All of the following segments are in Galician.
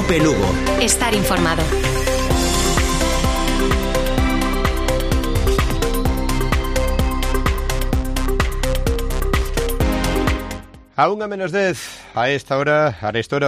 Cope Lugo. Estar informado. A 1:10, a esta hora,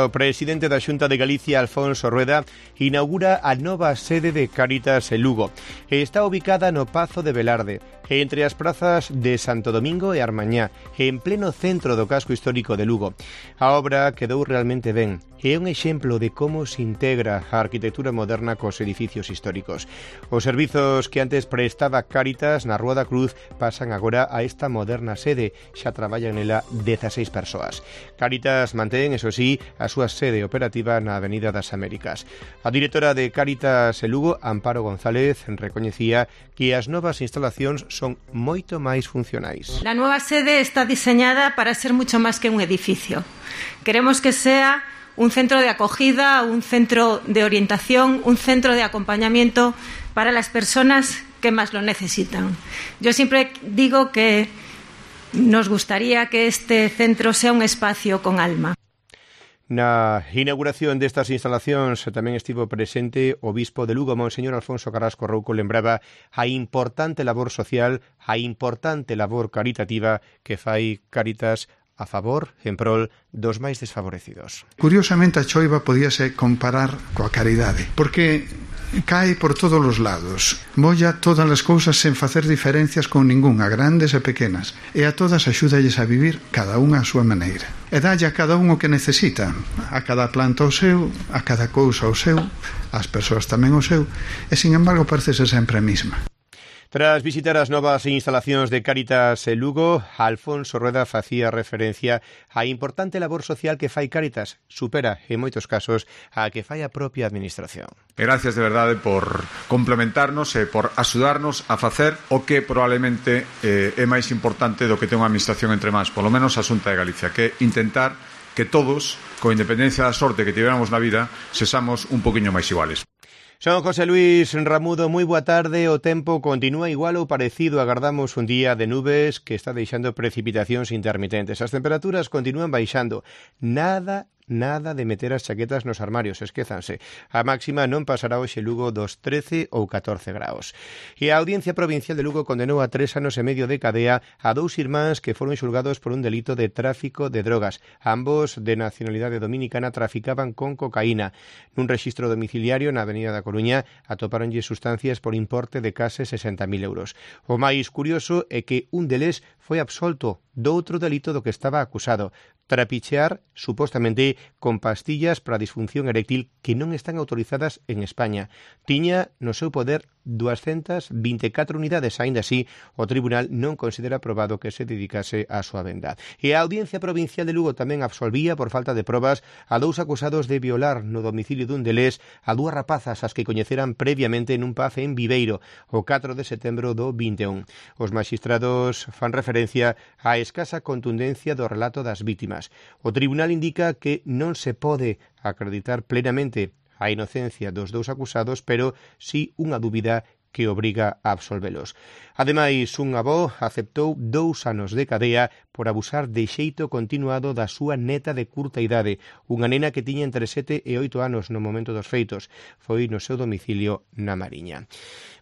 o presidente da Xunta de Galicia, Alfonso Rueda, inaugura a nova sede de Cáritas en Lugo. Está ubicada no Pazo de Velarde, entre as prazas de Santo Domingo e Armañá, en pleno centro do casco histórico de Lugo. A obra quedou realmente ben. É un exemplo de como se integra a arquitectura moderna cos edificios históricos. Os servizos que antes prestaba Cáritas na Rúa da Cruz pasan agora a esta moderna sede. Xa traballan nela 16 persoas. Cáritas mantén, eso sí, a súa sede operativa na Avenida das Américas. A directora de Cáritas en Lugo, Amparo González, recoñecía que as novas instalacións son moito máis funcionais. La nueva sede está diseñada para ser mucho más que un edificio. Queremos que sea un centro de acogida, un centro de orientación, un centro de acompañamiento para las personas que más lo necesitan. Yo siempre digo que nos gustaría que este centro sea un espacio con alma. Na inauguración destas instalacións tamén estivo presente o bispo de Lugo, Monseñor Alfonso Carrasco Rouco, lembraba a importante labor social, a importante labor caritativa que fai Cáritas a favor, en prol, dos máis desfavorecidos. Curiosamente, a choiva podíase comparar coa caridade, porque cae por todos os lados, molla todas as cousas sen facer diferencias con ningunha, grandes e pequenas, e a todas axúdalles a vivir cada unha a súa maneira. E dalle a cada un o que necesita, a cada planta o seu, a cada cousa o seu, as persoas tamén o seu, e sin embargo parecese sempre a mesma. Tras visitar as novas instalacións de Cáritas en Lugo, Alfonso Rueda facía referencia á importante labor social que fai Cáritas, supera, en moitos casos, a que fai a propia administración. Gracias de verdade por complementarnos e por axudarnos a facer o que probablemente é máis importante do que ten unha administración entre mans, polo menos a Xunta de Galicia, que é intentar que todos, con independencia da sorte que tivéramos na vida, sexamos un poquinho máis iguales. Son José Luis Ramudo, moi boa tarde. O tempo continúa igual ou parecido. Agardamos un día de nubes que está deixando precipitacións intermitentes. As temperaturas continúan baixando. Nada de meter as chaquetas nos armarios, esquézanse. A máxima non pasará hoxe Lugo dos 13 ou 14 graus. E a Audiencia Provincial de Lugo condenou a 3 anos e medio de cadea a 2 irmáns que foron xulgados por un delito de tráfico de drogas. Ambos, de nacionalidade dominicana, traficaban con cocaína. Nun rexistro domiciliario na Avenida da Coruña atopáronlle sustancias por importe de case 60.000 euros. O máis curioso é que un deles foi absolto do outro delito do que estaba acusado: trapichear, supostamente, con pastillas para a disfunción eréctil que non están autorizadas en España. Tiña no seu poder 224 unidades. Aínda así, o tribunal non considera probado que se dedicase á súa venda. E a Audiencia Provincial de Lugo tamén absolvía por falta de probas a 2 acusados de violar no domicilio dun deles a 2 rapazas as que coñeceran previamente nun pub en Viveiro o 4 de setembro do 21. Os maxistrados fan referencia á escasa contundencia do relato das vítimas. O tribunal indica que non se pode acreditar plenamente a inocencia dos 2 acusados, pero sí unha dúbida que obriga a absolvelos. Ademais, un avó aceptou 2 anos de cadea por abusar de xeito continuado da súa neta de curta idade, unha nena que tiña entre 7 e 8 anos no momento dos feitos. Foi no seu domicilio na Mariña.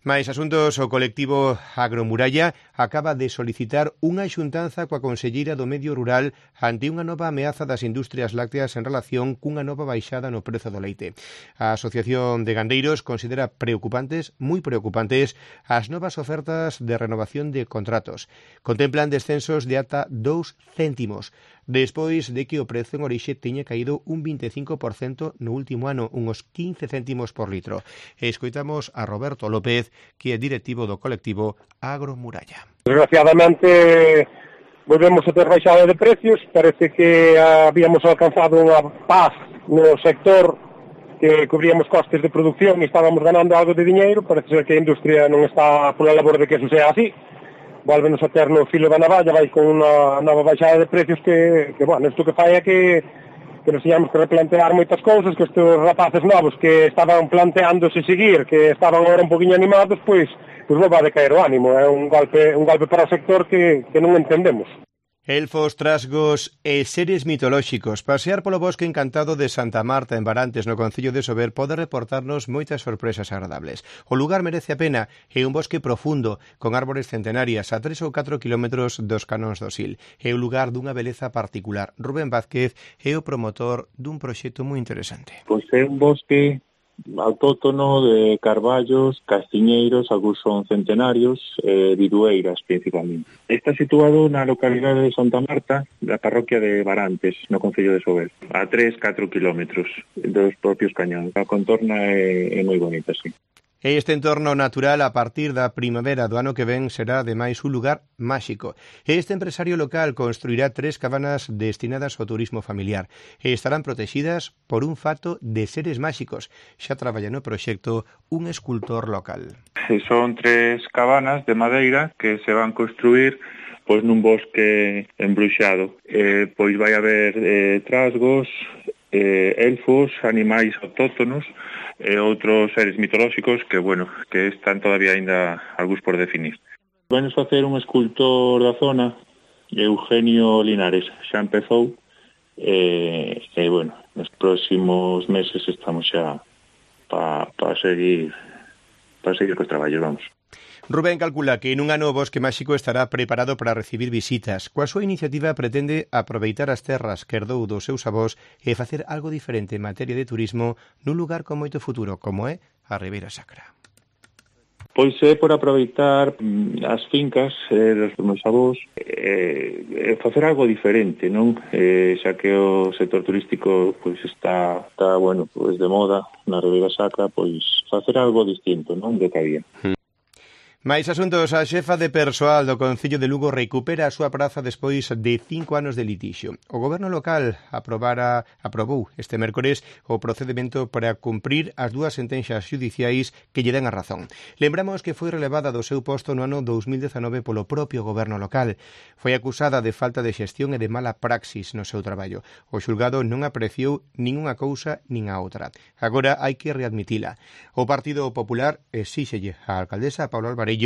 Mais asuntos, o colectivo Agromuralla acaba de solicitar unha xuntanza coa conselleira do Medio Rural ante unha nova ameaza das industrias lácteas en relación cunha nova baixada no prezo do leite. A Asociación de Gandeiros considera moi preocupantes, as novas ofertas de renovación de contratos. Contemplan descensos de ata 2 céntimos, despois de que o prezo en orixe teña caído un 25% no último ano, uns 15 céntimos por litro. Escoitamos a Roberto López, que é directivo do colectivo Agromuralla. Desgraciadamente, volvemos a ter baixada de precios. Parece que habíamos alcanzado unha paz no sector, que cubríamos costes de producción e estábamos ganando algo de diñeiro. Parece ser que a industria non está pola labor de que eso sea así. Volvenos a ter no filo da navalla, vai con unha nova baixada de precios que bueno, isto que fai é que nos teñamos que replantear moitas cousas, que estes rapaces novos que estaban planteándose seguir, que estaban agora un poquinho animados, pois non vai decaer o ánimo. É un golpe para o sector que non entendemos. Elfos, trasgos e seres mitolóxicos. Pasear polo bosque encantado de Santa Marta en Barantes, no concello de Sober, pode reportarnos moitas sorpresas agradables. O lugar merece a pena, é un bosque profundo, con árbores centenarias a 3 ou 4 kilómetros dos canóns do Sil. É un lugar dunha beleza particular. Rubén Vázquez é o promotor dun proxecto moi interesante. Pois é un bosque autóctono de carballos, castiñeiros, algúns son centenarios, vidueiras principalmente. Está situado na localidade de Santa Marta, da parroquia de Barantes, no concello de Sober, a 3-4 kilómetros dos propios cañóns. A contorna é moi bonita, sí. Este entorno natural a partir da primavera do ano que ven será ademais un lugar máxico. Este empresario local construirá 3 cabanas destinadas ao turismo familiar e estarán protegidas por un fato de seres máxicos. Xa traballa no proxecto un escultor local. Son 3 cabanas de madeira que se van construir pois nun bosque embruxado. Pois vai haber trasgos, elfos, animais autóctonos e outros seres mitolóxicos que, que están todavía aínda algúns por definir. Venos facer un escultor da zona, Eugenio Linares, xa empezou, nos próximos meses estamos xa para seguir cos traballos, vamos. Rubén calcula que nun ano o Bosque Máxico estará preparado para recibir visitas. Coa súa iniciativa pretende aproveitar as terras que herdou dos seus avós e facer algo diferente en materia de turismo nun lugar con moito futuro, como é a Ribeira Sacra. Pois é por aproveitar as fincas dos meus avós e facer algo diferente, non? Xa que o sector turístico pois está de moda na Ribeira Sacra, pois facer algo distinto, non? Do que había. Mais asuntos, a xefa de persoal do Concello de Lugo recupera a súa praza despois de 5 anos de litixio. O goberno local aprobou este mércores o procedimento para cumprir as 2 sentenzas xudiciais que lle dan a razón. Lembramos que foi relevada do seu posto no ano 2019 polo propio goberno local. Foi acusada de falta de xestión e de mala praxis no seu traballo. O xulgado non apreciou nin unha cousa nin a outra. Agora hai que readmitila. O Partido Popular exíxelle á alcaldesa Paula Alvarellos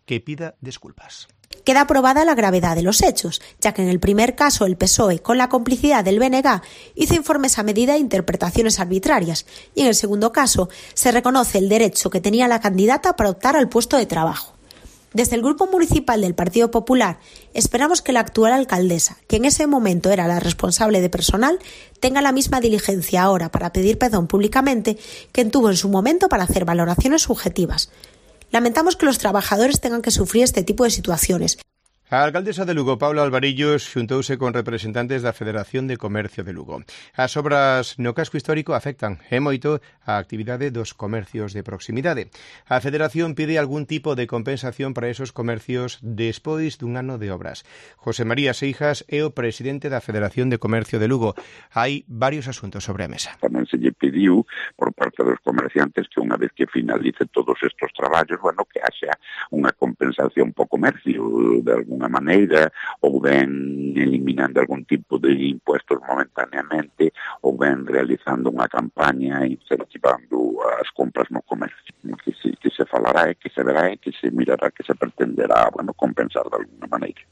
que pida disculpas. Queda aprobada la gravedad de los hechos, ya que en el primer caso el PSOE, con la complicidad del BNG, hizo informes a medida e interpretaciones arbitrarias, y en el segundo caso se reconoce el derecho que tenía la candidata para optar al puesto de trabajo. Desde el Grupo Municipal del Partido Popular esperamos que la actual alcaldesa, que en ese momento era la responsable de personal, tenga la misma diligencia ahora para pedir perdón públicamente que tuvo en su momento para hacer valoraciones subjetivas. Lamentamos que los trabajadores tengan que sufrir este tipo de situaciones. A alcaldesa de Lugo, Paula Alvarellos, xuntouse con representantes da Federación de Comercio de Lugo. As obras no casco histórico afectan e moito a actividade dos comercios de proximidade. A Federación pide algún tipo de compensación para esos comercios despois dun ano de obras. José María Seijas é o presidente da Federación de Comercio de Lugo. Hai varios asuntos sobre a mesa. Tamén se lle pediu por parte dos comerciantes que unha vez que finalice todos estos traballos, que haxa unha compensación po comercio de alguna maneira, ou ben eliminando algún tipo de impuestos momentáneamente, ou ben realizando unha campaña incentivando as compras no comercio. Que se falará e que se verá e que se mirará que se pretenderá, compensar de alguna maneira.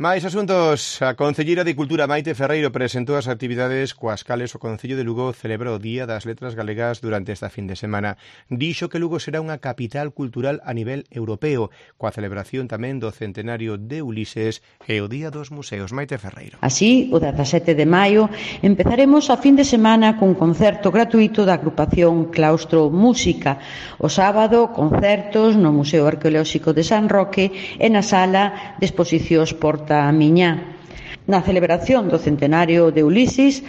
Mais asuntos. A Concelleira de Cultura Maite Ferreiro presentou as actividades coas cales o Concello de Lugo celebra o Día das Letras Galegas durante esta fin de semana. Dixo que Lugo será unha capital cultural a nivel europeo, coa celebración tamén do centenario de Ulises e o Día dos Museos. Maite Ferreiro. Así, o 17 de maio, empezaremos a fin de semana cun concerto gratuito da agrupación Claustro Música. O sábado, concertos no Museo Arqueolóxico de San Roque e na sala de exposicións Porta a Miñá. Na celebración do centenario de Ulises,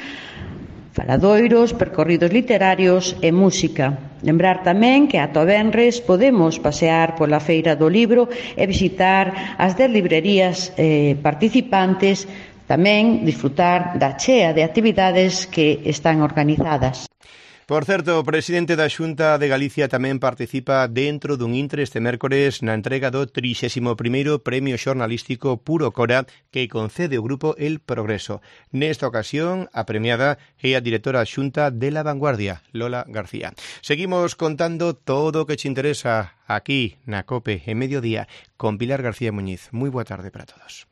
faladoiros, percorridos literarios e música. Lembrar tamén que ata o venres podemos pasear pola Feira do Libro e visitar as 10 librerías participantes, tamén disfrutar da chea de actividades que están organizadas. Por certo, o presidente da Xunta de Galicia tamén participa dentro dun intre este mércores na entrega do 31º Premio Xornalístico Puro Cora que concede o grupo El Progreso. Nesta ocasión, a premiada é a directora xunta de La Vanguardia, Lola García. Seguimos contando todo o que te interesa aquí na COPE en Mediodía con Pilar García Muñiz. Moi boa tarde para todos.